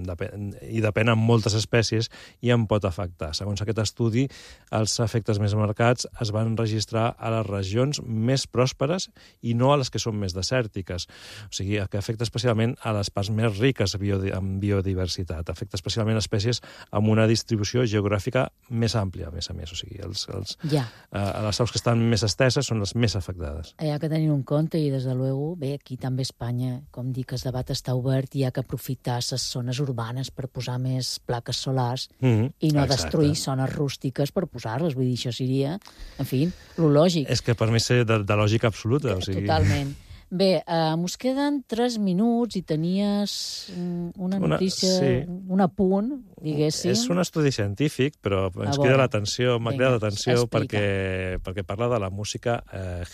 depèn en moltes espècies i en pot afectar. Segons aquest estudi, els efectes més marcats es van registrar a les regions més pròsperes i no a les que són més desèrtiques. O sigui, que afecta especialment a les parts més riques en biodiversitat. Afecta especialment espècies amb una distribució geogràfica més àmplia, a més. O sigui, les aus que estan més esteses són les més afectades. Hi ha que tenir en compte i, des de luego, bé, aquí també a Espanya, com dic, el debat està obert i hi ha que aprofitar les zones urbanes per posar més plaques solars i no destruir zones rústiques per posar-les. Vull dir, això seria, en fi, lo lògic. És que per mi és de lògica absoluta. Totalment. Bé, mos queden 3 minuts i tenies una notícia, un apunt, diguéssim. És un estudi científic, però ens crida l'atenció, m'ha cridat l'atenció perquè parla de la música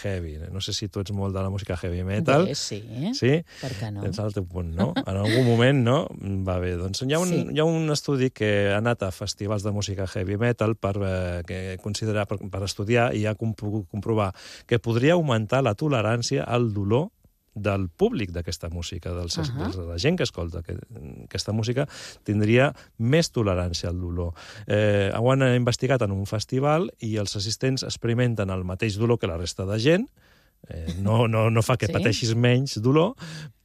heavy. No sé si tu ets molt de la música heavy metal. Bé, sí. Per què no? Tens el teu punt, no? En algun moment, no? Va bé, doncs hi ha un estudi que ha anat a festivals de música heavy metal per estudiar i ha pogut comprovar que podria augmentar la tolerància al dolor del públic d'aquesta música, de la gent que escolta aquesta música, tindria més tolerància al dolor. Ho han investigat en un festival i els assistents experimenten el mateix dolor que la resta de gent. No fa que pateixis menys dolor,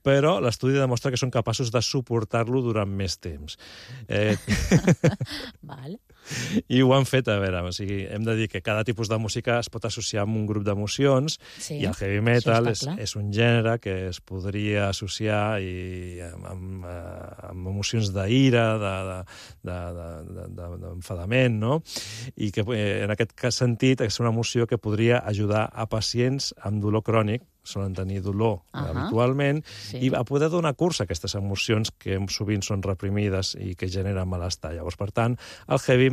però l'estudi demostra que són capaços de suportar-lo durant més temps. Vale. I ho han fet, a veure, o sigui, hem de dir que cada tipus de música es pot associar amb un grup d'emocions, i el heavy metal és un gènere que es podria associar amb emocions d'ira, d'enfadament, no? I que en aquest sentit és una emoció que podria ajudar a pacients amb dolor crònic, solen tenir dolor habitualment, i a poder donar curs a aquestes emocions que sovint són reprimides i que generen malestar. Llavors, per tant, el heavy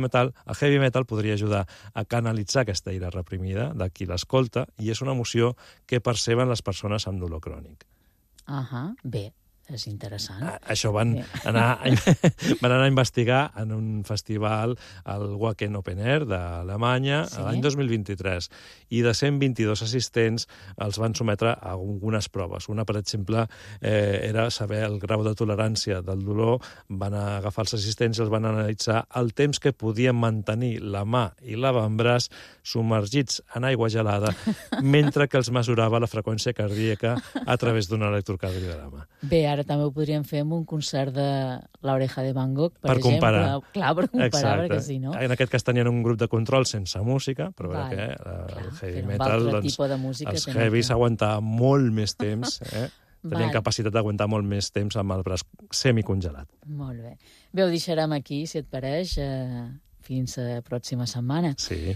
metal podria ajudar a canalitzar aquesta ira reprimida de qui l'escolta, i és una emoció que perceben les persones amb dolor crònic. Bé, és interessant. Això van anar a investigar en un festival al Wacken Open Air d'Alemanya l'any 2023, i de 122 assistents els van sometre a algunes proves. Una, per exemple, era saber el grau de tolerància del dolor. Van agafar els assistents i els van analitzar el temps que podien mantenir la mà i l'avantbraç submergits en aigua gelada mentre que els mesurava la freqüència cardíaca a través d'un electrocardiograma. Bé, ara també ho podríem fer amb un concert de l'Oreja de Van Gogh, per exemple. Comparar. Clar, per comparar, perquè si no... En aquest cas tenien un grup de control sense música, però que el heavy metal, els heavies aguantaven molt més temps, tenien capacitat d'aguantar molt més temps amb el braç semicongelat. Molt bé. Bé, ho deixarem aquí, si et pareix, fins a la pròxima setmana. Sí.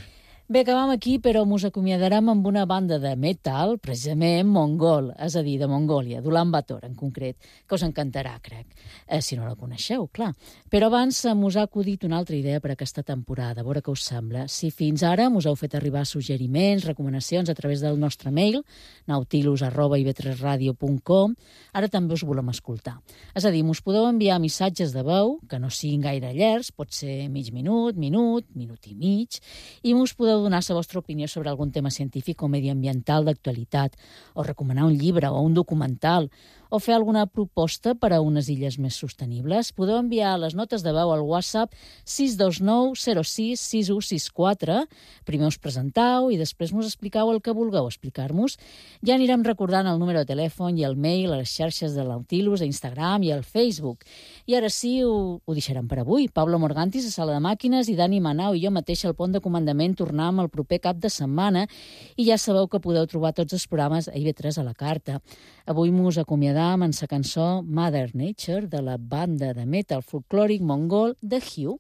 Bé, acabam aquí, però us acomiadarem amb una banda de metal, precisament mongol, és a dir, de Mongòlia, d'Ulan Bator, en concret, que us encantarà, crec, si no la coneixeu, clar. Però abans us ha acudit una altra idea per aquesta temporada, a veure què us sembla. Si fins ara us heu fet arribar suggeriments, recomanacions a través del nostre mail, nautilus@ib3radio.com, ara també us volem escoltar. És a dir, us podeu enviar missatges de veu, que no siguin gaire llargs, pot ser mig minut, minut i mig, i us podeu donar la vostra opinió sobre algun tema científic o mediambiental d'actualitat, o recomanar un llibre o un documental, o fer alguna proposta per a unes illes més sostenibles. Podeu enviar les notes de veu al WhatsApp 629 06 6164. Primer us presentau i després us expliqueu el que vulgueu explicar-nos. Ja anirem recordant el número de telèfon i el mail a les xarxes de Nautilus, a Instagram i al Facebook. I ara sí, ho deixarem per avui. Pablo Morgantis a Sala de Màquines i Dani Manau i jo mateix al Pont de Comandament tornem el proper cap de setmana, i ja sabeu que podeu trobar tots els programes a IB3 a la carta. Avui mos acomiadam amb la cançó Mother Nature de la banda de metal folclòric mongol The Hue.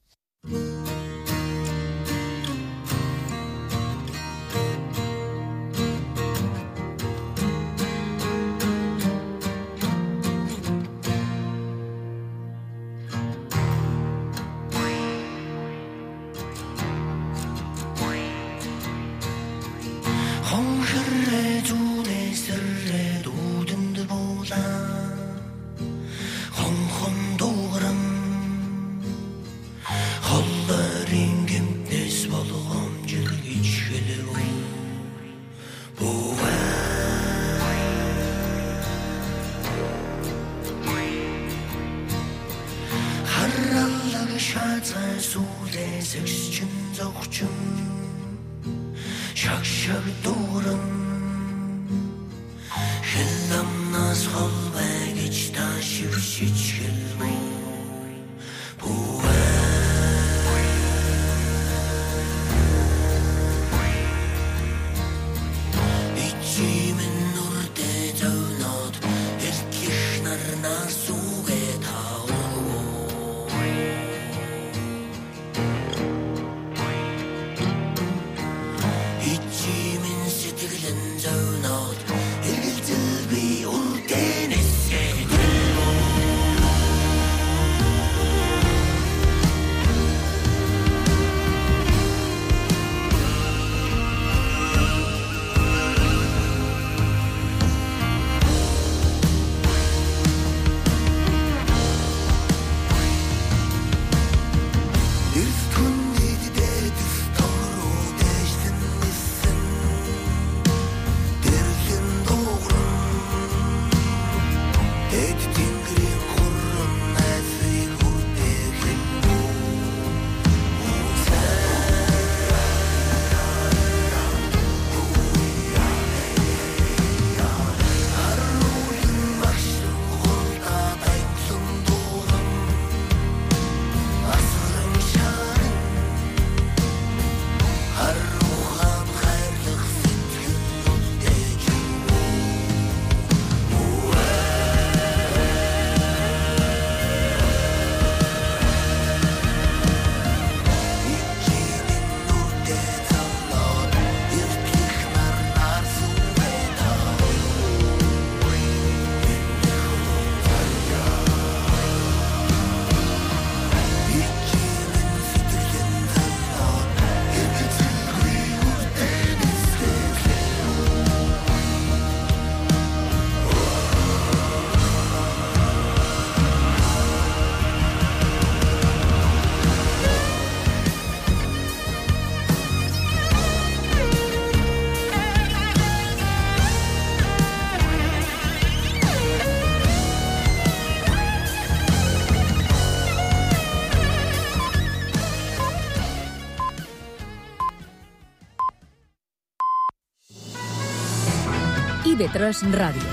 TV3 Ràdio.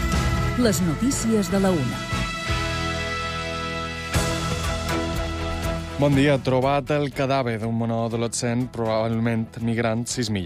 Les notícies de la 1. Bon dia. Trobat el cadàver d'un menor adolescent, probablement migrant, 6 milles.